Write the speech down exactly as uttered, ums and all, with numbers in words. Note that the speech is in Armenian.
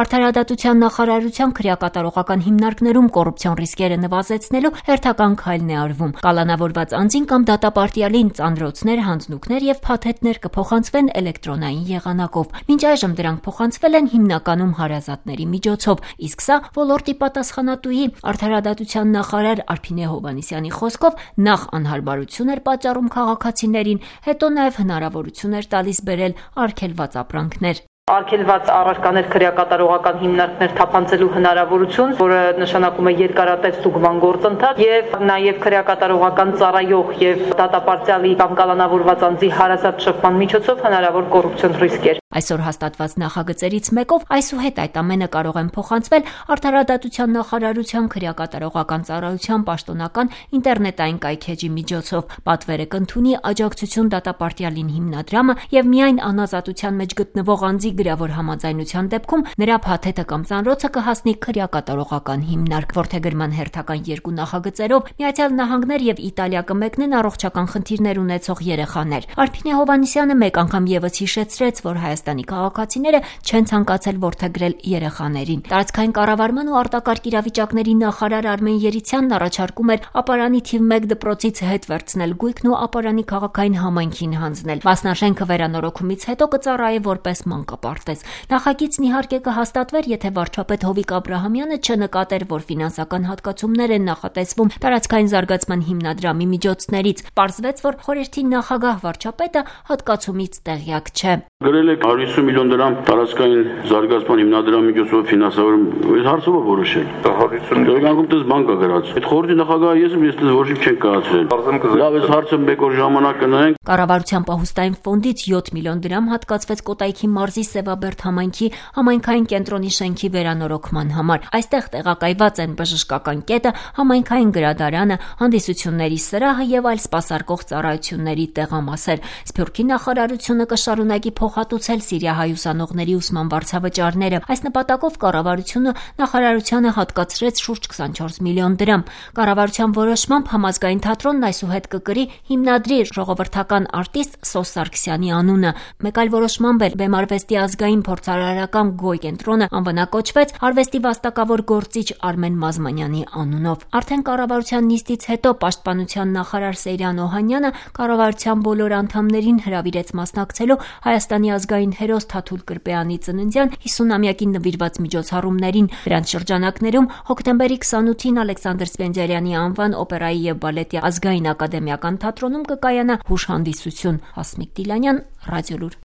Արդարադատության նախարարության քրեակատարողական հիմնարկներում կոռուպցիոն ռիսկերը նվազեցնելու հերթական քայլն է արվում։ Կալանավորված անձին կամ դատապարտյալին ծանրոցներ, հանձնուկներ եւ փաթեթներ կփոխանցվեն էլեկտրոնային եղանակով։ Մինչ այժմ դրանք փոխանցվել են հիմնականում հարազատների միջոցով, իսկ սա ոլորտի պատասխանատուի արդարադատության նախարար Արփինե Հովհաննիսյանի խոսքով նախ անհարմարություն էր պատճառում քաղաքացիներին, հետո նաեւ հնարավորություն էր տալիս բերել արգելված ապրանքներ։ Արգելված առարկաներ քրեակատարողական հիմնարկներ թափանցելու հնարավորություն, որը նշանակում է երկարատև ստուգման գործընթաց եւ նաեւ քրեակատարողական ծառայող եւ դատապարտյալի կամ կալանավորված անձի հարազատ շփման միջոցով հնարավոր կոռուպցիոն ռիսկեր։ Այսօր հաստատված նախագծերից մեկով այսուհետ այդ ամենը կարող են փոխանցվել Արդարադատության նախարարության քրեակատարողական ծառայության պաշտոնական ինտերնետային կայքէջի միջոցով։ Պատվերը կընդունի աջակցություն դատապարտյալին հիմնադրամը եւ միայն անազատության մեջ գտնվող անձի գրավոր համաձայնության դեպքում նրա փաթեթը կամ ծանրոցը կհասնի քրեակատարողական հիմնարկ։ Որդեգրման հերթական երկու նախագծերով Միացյալ Նահանգներ եւ Իտալիա կմեկնեն առողջական խնդիրներ ունեցող երեխաներ։ Արփինե Հովհաննիսյանը մեկ անգամ եւս հիշեցրեց, որ Հայաստանի քաղաքացիները չեն ցանկացել որդեգրել երեխաներին։ Տարածքային կառավարման ու արտակարգ իրավիճակների նախարար Արմեն Երիցյանն առաջարկում էր ապարանի թիվ մեկ դպրոցից հետ վերցնել գույքն ու ապարանի քաղաքային համայնքին հանձնել։ Մասնաշենքը վերանորոգումից հետո կծառայի որպես մանկապարտեզ։ Նախագիծն իհարկե կհաստատվեր, եթե վարչապետ Հովիկ Աբրահամյանը չնկատեր, որ ֆինանսական հատկացումներ են նախատեսվում տարածքային զարգացման հիմնադրամի միջոցներից։ Պարզվեց, որ խորհրդի նախագահ վարչապետը հատկացումից տեղյակ չէ։ Գրել եք հարյուր հիսուն միլիոն դրամ տարածքային զարգացման հիմնադրամի միջոցով ֆինանսավորում, այս հարցը ո՞ր որոշել։ հարյուր հիսուն Գերագույն դες բան կա գրած։ Այդ խորհրդի նախագահը ես եմ, ես դες ոչ չեն կայացրել։ Լավ, այս հարցը մեկ օր ժամանակ կնայենք։ Կառավարության պահուստային ֆոնդից յոթ միլիոն դրամ հատկացվեց Կոտայքի մարզի Սևաբերդ համայնքի համայնքային կենտրոնի շենքի վերանորոգման համար։ Այստեղ տեղակայված են բժշկական կետը, համայնքային գրադարանը, հանդիսությունների սրահը եւ այլ սպասարկող ծառայությունների տեղամասեր։ Սփյուռքի նախարարությունը կշարունակի փոխհատուցել սիրիահայ ուսանողների ուսման վարձավճարները։ Այս նպատակով կառավարությունը նախարարությանը հատկացրեց շուրջ քսանչորս միլիոն դրամ։ Կառավարության որոշմամբ համազգային թատրոնն այսուհետ կկրի հիմնադրի ժողովրդական արտիստ Սոս Սարգսյանի անունը։ Մեկ այլ որոշմամբ էլ Բեմարվեստի ազգային փորձարարական Գոյ կենտրոնը անվանակոչվեց արվեստի վաստակավոր գործիչ Արմեն Մազմանյանի անունով։ Արդեն կառավարության նիստից հետո պաշտպանության նախարար Սեյրան Օհանյանը կառավարության բոլոր անդամներին հրավիրեց մասնակցելու Հայաստանի ազգային հերոս Թաթուլ Կրպեյանի ծննդյան հիսունամյակին նվիրված միջոցառումներին։ Դրանց շրջանակներում հոկտեմբերի քսանութին Ալեքսանդր Սպենդիարյանի անվան օպերայի եւ բալետի ազգային ակադեմիական թատրոնում կկայանա հուշհանդիսություն։ Հասմիկ Դիլանյան, Ռադիոլուր։